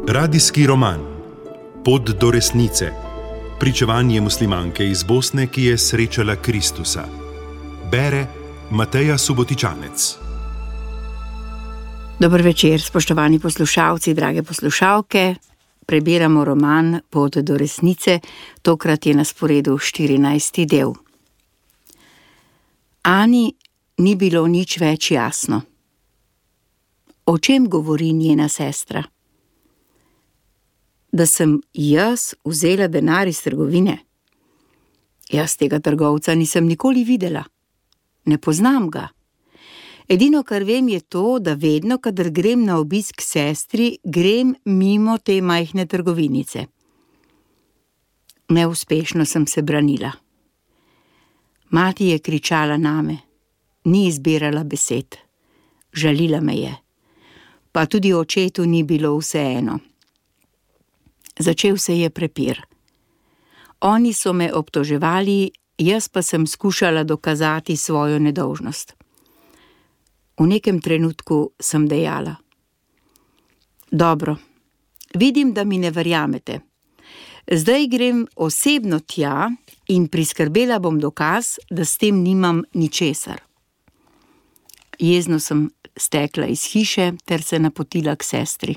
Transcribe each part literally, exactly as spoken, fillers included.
Radijski roman Pot do resnice. Pričevanje muslimanke iz Bosne, ki je srečala Kristusa. Bere Mateja Subotičanec. Dober večer, spoštovani poslušalci, drage poslušalke. Prebiramo roman Pot do resnice, tokrat je na sporedu štirinajsti del. Ani ni bilo nič več jasno. O čem govori njena sestra? Da sem jaz vzela denar iz trgovine? Jaz tega trgovca nisem nikoli videla. Ne poznam ga. Edino, kar vem, je to, da vedno, kadar grem na obisk sestri, grem mimo te majhne trgovinice. Neuspešno sem se branila. Mati je kričala name, ni izbirala besed. Žalila me je. Pa tudi očetu ni bilo vseeno. Začel se je prepir. Oni so me obtoževali, jaz pa sem skušala dokazati svojo nedolžnost. V nekem trenutku sem dejala: Dobro, vidim, da mi ne verjamete. Zdaj grem osebno tja in priskrbela bom dokaz, da s tem nimam ničesar. Jezno sem stekla iz hiše ter se napotila k sestri.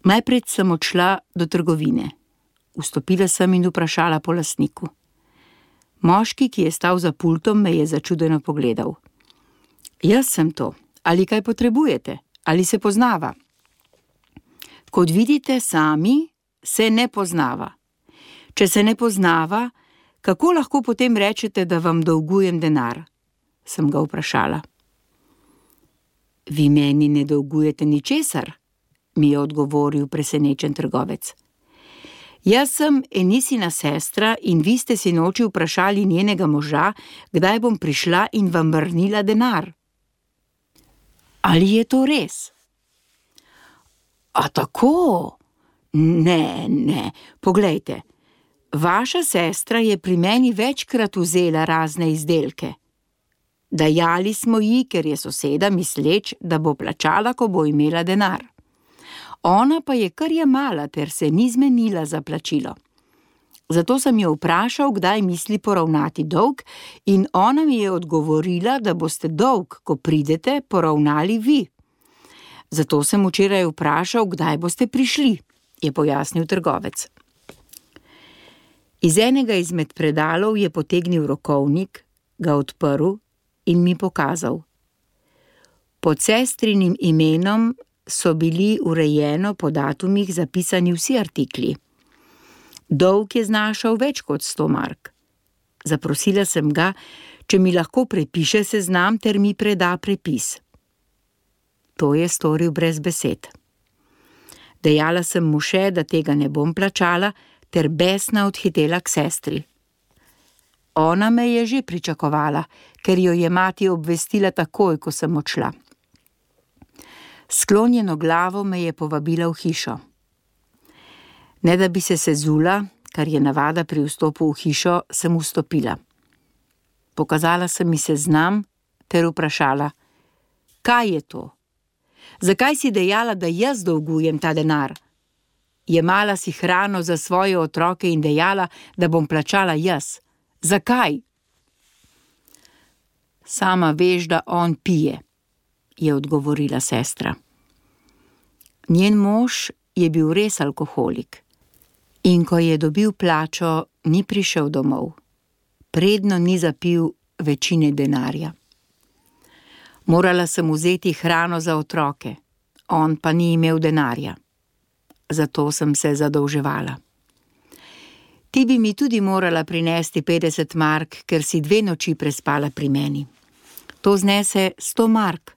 Najprej sem odšla do trgovine. Vstopila sem in vprašala po lastniku. Moški, ki je stal za pultom, me je začudeno pogledal. Jaz sem to. Ali kaj potrebujete? Ali se poznava? Kot vidite sami, se ne poznava. Če se ne poznava, kako lahko potem rečete, da vam dolgujem denar? Sem ga vprašala. Vi meni ne dolgujete ničesar, mi je odgovoril presenečen trgovec. Jaz sem Enisina sestra in vi ste sinoči vprašali njenega moža, kdaj bom prišla in vam vrnila denar. Ali je to res? A tako? Ne, ne, poglejte. Vaša sestra je pri meni večkrat vzela razne izdelke. Dajali smo ji, ker je soseda misleč, da bo plačala, ko bo imela denar. Ona pa je kar jemala ter se ni zmenila za plačilo. Zato sem jo vprašal, kdaj misli poravnati dolg, in ona mi je odgovorila, da boste dolg, ko pridete, poravnali vi. Zato sem včeraj vprašal, kdaj boste prišli, je pojasnil trgovec. Iz enega izmed predalov je potegnil rokovnik, ga odprl in mi pokazal. Pod sestrinim imenom so bili urejeno po datumih zapisani vsi artikli. Dolg je znašal več kot sto mark. Zaprosila sem ga, če mi lahko prepiše seznam ter mi preda prepis. To je storil brez besed. Dejala sem mu še, da tega ne bom plačala, ter besna odhitela k sestri. Ona me je že pričakovala, ker jo je mati obvestila takoj, ko sem odšla. Sklonjeno glavo me je povabila v hišo. Ne da bi se sezula, kar je navada pri vstopu v hišo, sem vstopila. Pokazala sem mi seznam ter vprašala: Kaj je to? Zakaj si dejala, da jaz dolgujem ta denar? Jemala si hrano za svoje otroke in dejala, da bom plačala jaz. Zakaj? Sama veš, da on pije, je odgovorila sestra. Njen mož je bil res alkoholik. In ko je dobil plačo, ni prišel domov. Predno ni zapil večine denarja. Morala sem vzeti hrano za otroke, on pa ni imel denarja. Zato sem se zadolževala. Ti bi mi tudi morala prinesti petdeset mark, ker si dve noči prespala pri meni. To znese sto mark,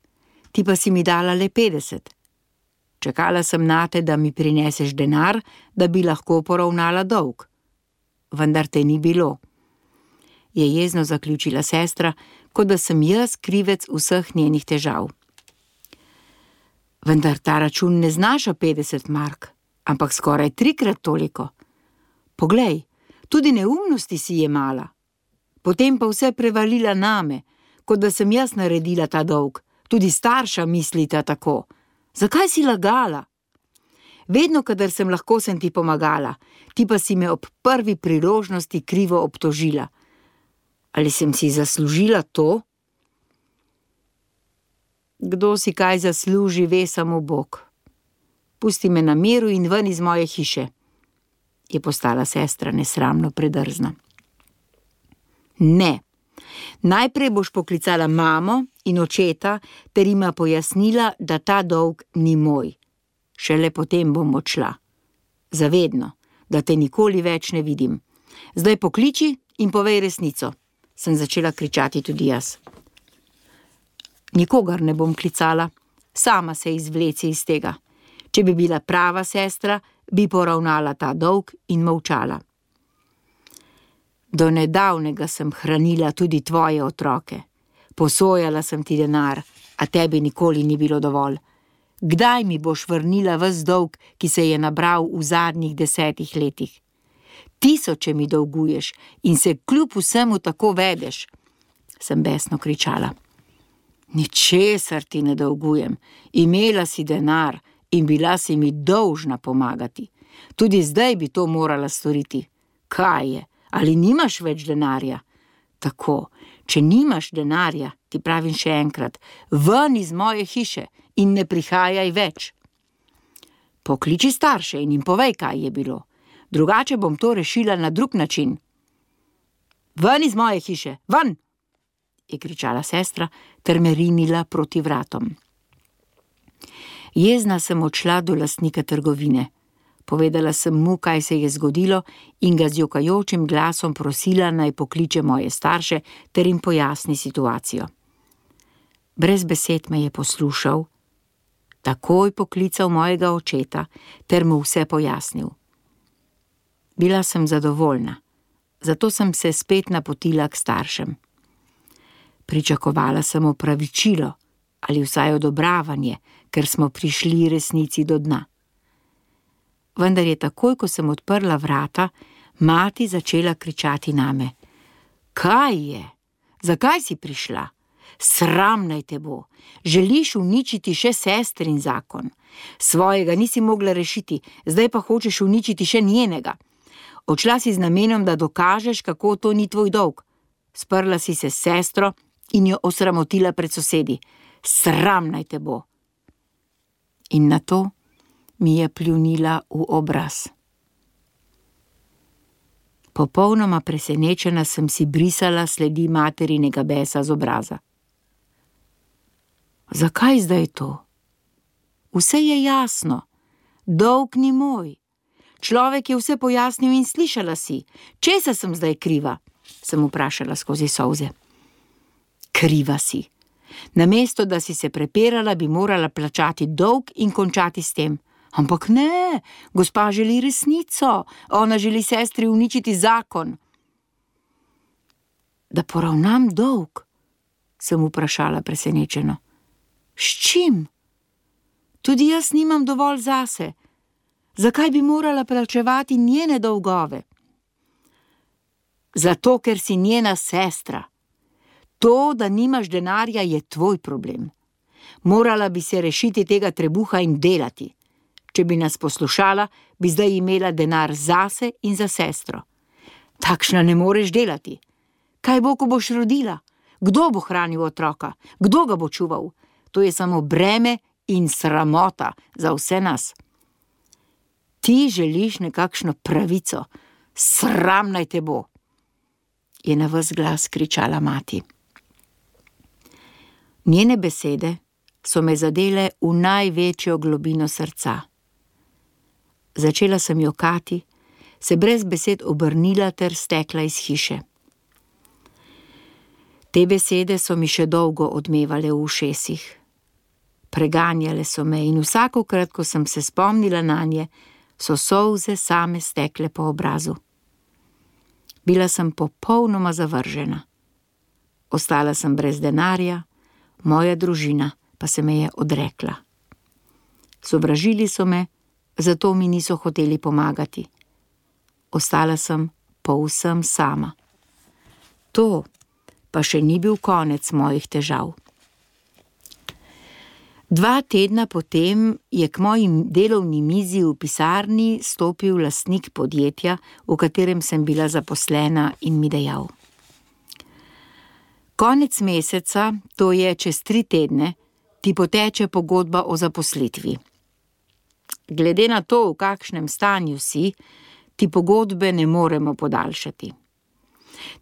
ti pa si mi dala le petdeset. Čakala sem nate, da mi prineseš denar, da bi lahko poravnala dolg. Vendar te ni bilo. Je jezno zaključila sestra, kot da sem jaz krivec vseh njenih težav. Vendar ta račun ne znaša petdeset mark, ampak skoraj trikrat toliko. Poglej, tudi neumnosti si jemala. Potem pa vse prevalila name. kot da sem jaz naredila ta dolg. Tudi starša mislita tako. Zakaj si lagala? Vedno, kadar sem lahko, sem ti pomagala, ti pa si me ob prvi priložnosti krivo obtožila. Ali sem si zaslužila to? Kdo si kaj zasluži, ve samo Bog. Pusti me na miru in ven iz moje hiše, je postala sestra nesramno predrzna. Ne, najprej boš poklicala mamo in očeta ter jima pojasnila, da ta dolg ni moj. Šele potem bom odšla. Zavedno, da te nikoli več ne vidim. Zdaj pokliči in povej resnico, sem začela kričati tudi jaz. Nikogar ne bom klicala, sama se izvleci iz tega. Če bi bila prava sestra, bi poravnala ta dolg in molčala. Do nedavnega sem hranila tudi tvoje otroke. Posojala sem ti denar, a tebi nikoli ni bilo dovolj. Kdaj mi boš vrnila ves dolg, ki se je nabral v zadnjih desetih letih? Tisoče mi dolguješ in se kljub vsemu tako vedeš, sem besno kričala. Ničesar ti ne dolgujem, imela si denar in bila si mi dolžna pomagati. Tudi zdaj bi to morala storiti. Kaj je? Ali nimaš več denarja? Tako, če nimaš denarja, ti pravim še enkrat, ven iz moje hiše in ne prihajaj več. Pokliči starše in jim povej, kaj je bilo. Drugače bom to rešila na drug način. Ven iz moje hiše, ven! Je kričala sestra ter me rinila proti vratom. Jezna sem odšla do lastnika trgovine. Povedala sem mu, kaj se je zgodilo in ga z jokajočim glasom prosila, naj pokliče moje starše ter jim pojasni situacijo. Brez besed me je poslušal, takoj poklical mojega očeta ter mu vse pojasnil. Bila sem zadovoljna, zato sem se spet napotila k staršem. Pričakovala sem opravičilo ali vsaj odobravanje, ker smo prišli resnici do dna. Vendar je takoj, ko sem odprla vrata, mati začela kričati name. Kaj je? Zakaj si prišla? Sram naj te bo. Želiš uničiti še sestrin zakon. Svojega nisi mogla rešiti, zdaj pa hočeš uničiti še njenega. Odšla si z namenom, da dokažeš, kako to ni tvoj dolg. Sprla si se s sestro in jo osramotila pred sosedi. Sram naj te bo. In na to mi je pljunila v obraz. Popolnoma presenečena sem si brisala sledi materinega besa z obraza. Zakaj zdaj to? Vse je jasno. Dolg ni moj. Človek je vse pojasnil in slišala si. Česa sem zdaj kriva? Sem vprašala skozi solze. Kriva si. Namesto, da si se prepirala, bi morala plačati dolg in končati s tem. Ampak ne, gospa želi resnico. Ona želi sestri uničiti zakon. Da poravnam dolg? Sem vprašala presenečeno. S čim? Tudi jaz nimam dovolj zase. Zakaj bi morala plačevati njene dolgove? Zato, ker si njena sestra. To, da nimaš denarja, je tvoj problem. Morala bi se rešiti tega trebuha in delati. Če bi nas poslušala, bi zdaj imela denar zase in za sestro. Takšna ne moreš delati. Kaj bo, ko boš rodila? Kdo bo hranil otroka? Kdo ga bo čuval? To je samo breme in sramota za vse nas. Ti želiš nekakšno pravico. Sram naj te bo, je na ves glas kričala mati. Njene besede so me zadele v največjo globino srca. Začela sem jokati, se brez besed obrnila ter stekla iz hiše. Te besede so mi še dolgo odmevale v ušesih. Preganjale so me in vsakokrat, ko sem se spomnila nanje, so solze same stekle po obrazu. Bila sem popolnoma zavržena. Ostala sem brez denarja, moja družina pa se me je odrekla. Sovražili so me, zato mi niso hoteli pomagati. Ostala sem povsem sama. To, pa še ni bil konec mojih težav. Dva tedna potem je k moji delovni mizi v pisarni stopil lastnik podjetja, v katerem sem bila zaposlena, in mi dejal: Konec meseca, to je čez tri tedne, ti poteče pogodba o zaposlitvi. Glede na to, v kakšnem stanju si, ti pogodbe ne moremo podaljšati.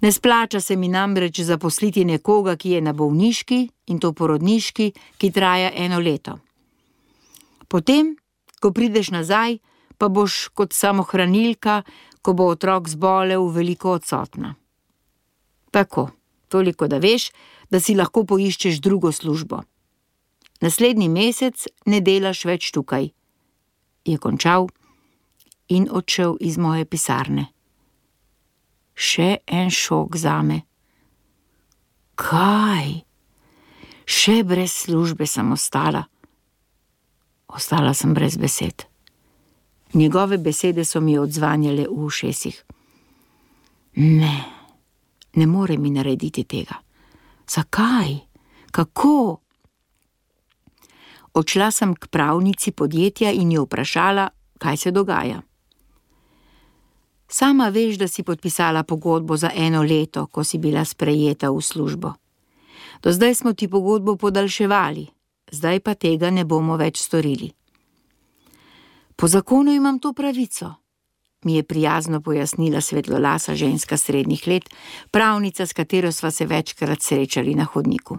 Ne splača se mi namreč zaposliti nekoga, ki je na bolniški, in to porodniški, ki traja eno leto. Potem, ko prideš nazaj, pa boš kot samohranilka, ko bo otrok zbolel, veliko odsotna. Tako, toliko da veš, da si lahko poiščeš drugo službo. Naslednji mesec ne delaš več tukaj, je končal in odšel iz moje pisarne. Še en šok zame. Kaj? Še brez službe sem ostala. Ostala sem brez besed. Njegove besede so mi odzvanjale v ušesih. Ne, ne more mi narediti tega. Zakaj? Kako? Odšla sem k pravnici podjetja in jo vprašala, kaj se dogaja. Sama veš, da si podpisala pogodbo za eno leto, ko si bila sprejeta v službo. Do zdaj smo ti pogodbo podaljševali, zdaj pa tega ne bomo več storili. Po zakonu imam to pravico, mi je prijazno pojasnila svetlolasa ženska srednjih let, pravnica, s katero sva se večkrat srečali na hodniku.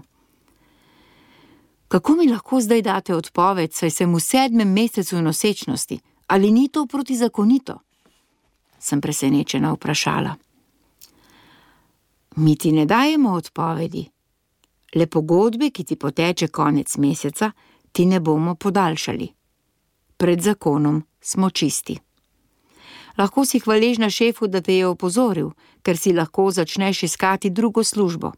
Kako mi lahko zdaj date odpoved, saj sem v sedmem mesecu nosečnosti, ali ni to protizakonito? Sem presenečena vprašala. Mi ti ne dajemo odpovedi. Le pogodbe, ki ti poteče konec meseca, ti ne bomo podaljšali. Pred zakonom smo čisti. Lahko si hvaležna šefu, da te je opozoril, ker si lahko začneš iskati drugo službo.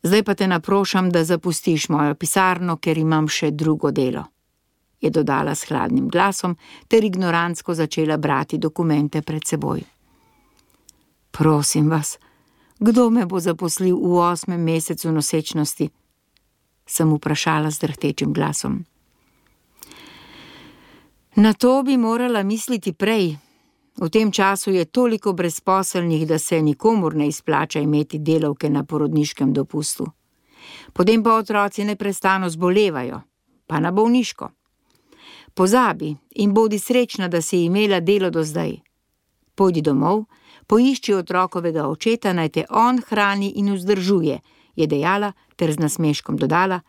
Zdaj pa te naprošam, da zapustiš mojo pisarno, ker imam še drugo delo, je dodala s hladnim glasom ter ignorantsko začela brati dokumente pred seboj. Prosim vas, kdo me bo zaposlil v osmem mesecu nosečnosti? Sem vprašala z drhtečim glasom. Na to bi morala misliti prej. V tem času je toliko brezposelnih, da se nikomur ne izplača imeti delavke na porodniškem dopustu. Potem pa otroci neprestano zbolevajo, pa na bolniško. Pozabi in bodi srečna, da si imela delo do zdaj. Pojdi domov, poišči otrokovega očeta, naj te on hrani in vzdržuje, je dejala ter z nasmeškom dodala,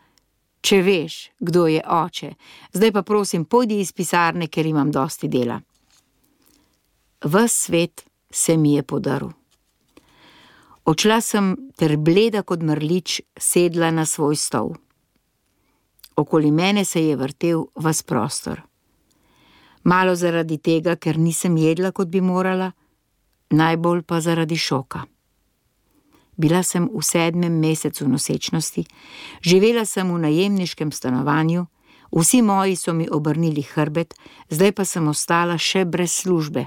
če veš, kdo je oče, zdaj pa prosim, pojdi iz pisarne, ker imam dosti dela. Ves svet se mi je podaril. Odšla sem ter bleda kot mrlič sedla na svoj stol. Okoli mene se je vrtel ves prostor. Malo zaradi tega, ker nisem jedla, kot bi morala, najbolj pa zaradi šoka. Bila sem v sedmem mesecu nosečnosti, živela sem v najemniškem stanovanju, vsi moji so mi obrnili hrbet, zdaj pa sem ostala še brez službe.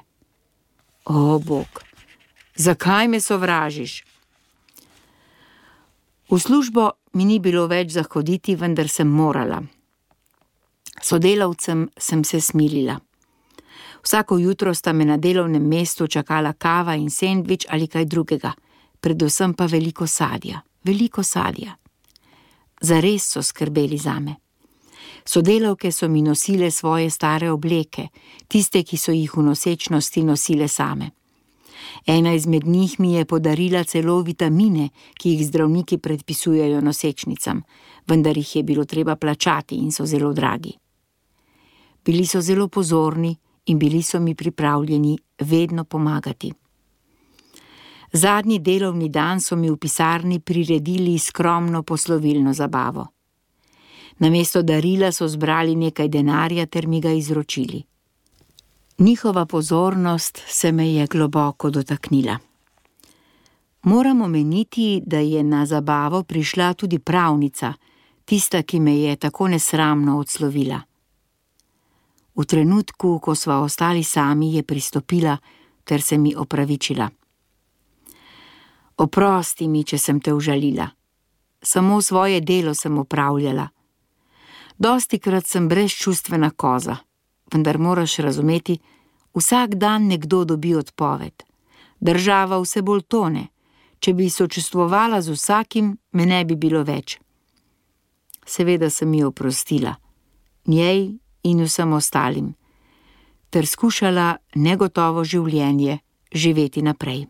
O, Bog, zakaj me sovražiš? V službo mi ni bilo več za hoditi, vendar sem morala. Sodelavcem sem se smilila. Vsako jutro sta me na delovnem mestu čakala kava in sendvič ali kaj drugega, predvsem pa veliko sadja, veliko sadja. Zares so skrbeli zame. Sodelavke so mi nosile svoje stare obleke, tiste, ki so jih v nosečnosti nosile same. Ena izmed njih mi je podarila celo vitamine, ki jih zdravniki predpisujejo nosečnicam, vendar jih je bilo treba plačati in so zelo dragi. Bili so zelo pozorni in bili so mi pripravljeni vedno pomagati. Zadnji delovni dan so mi v pisarni priredili skromno poslovilno zabavo. Namesto darila so zbrali nekaj denarja ter mi ga izročili. Njihova pozornost se me je globoko dotaknila. Moram omeniti, da je na zabavo prišla tudi pravnica, tista, ki me je tako nesramno odslovila. V trenutku, ko sva ostali sami, je pristopila ter se mi opravičila. Oprosti mi, če sem te užalila. Samo svoje delo sem opravljala. Dostikrat sem brezčustvena koza, vendar moraš razumeti, vsak dan nekdo dobi odpoved. Država vse bolj tone. Če bi sočustvovala z vsakim, me ne bi bilo več. Seveda sem ji oprostila, njej in vsem ostalim, ter skušala negotovo življenje živeti naprej.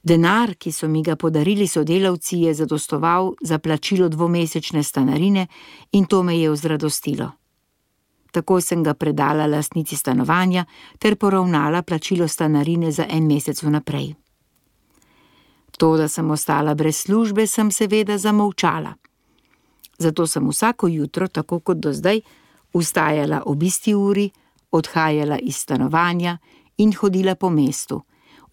Denar, ki so mi ga podarili sodelavci, je zadostoval za plačilo dvomesečne stanarine in to me je vzradostilo. Takoj sem ga predala lastnici stanovanja ter poravnala plačilo stanarine za en mesec vnaprej. To, da sem ostala brez službe, sem seveda zamolčala. Zato sem vsako jutro, tako kot do zdaj, vstajala ob isti uri, odhajala iz stanovanja in hodila po mestu,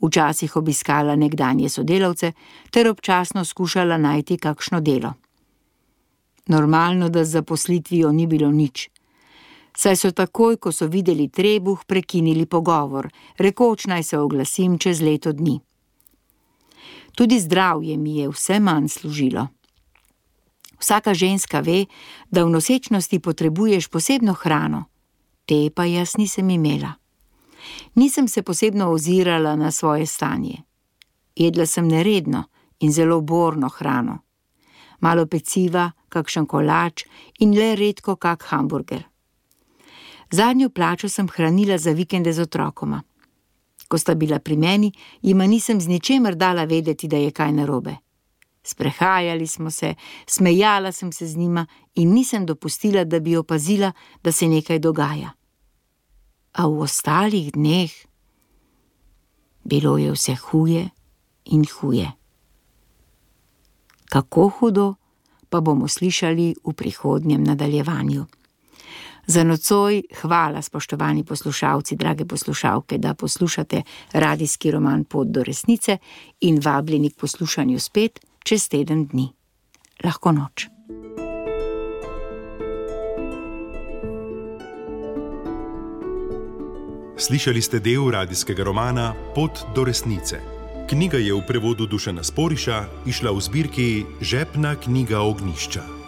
včasih obiskala nekdanje sodelavce ter občasno skušala najti kakšno delo. Normalno, da z zaposlitvijo ni bilo nič. Saj so takoj, ko so videli trebuh, prekinili pogovor, rekoč naj se oglasim čez leto dni. Tudi zdravje mi je vse manj služilo. Vsaka ženska ve, da v nosečnosti potrebuješ posebno hrano, te pa jaz nisem imela. Nisem se posebno ozirala na svoje stanje. Jedla sem neredno in zelo borno hrano. Malo peciva, kakšen kolač in le redko kak hamburger. Zadnjo plačo sem hranila za vikende z otrokoma. Ko sta bila pri meni, jima nisem z ničemer dala vedeti, da je kaj narobe. Sprehajali smo se, smejala sem se z njima in nisem dopustila, da bi opazila, da se nekaj dogaja. A v ostalih dneh bilo je vse huje in huje. Kako hudo, pa bomo slišali v prihodnjem nadaljevanju. Za nocoj hvala, spoštovani poslušalci, drage poslušalke, da poslušate radijski roman Pot do resnice in vabljeni k poslušanju spet čez teden dni. Lahko noč. Slišali ste del radijskega romana Pot do resnice. Knjiga je v prevodu Dušana Sporiša izšla v zbirki Žepna knjiga Ognjišča.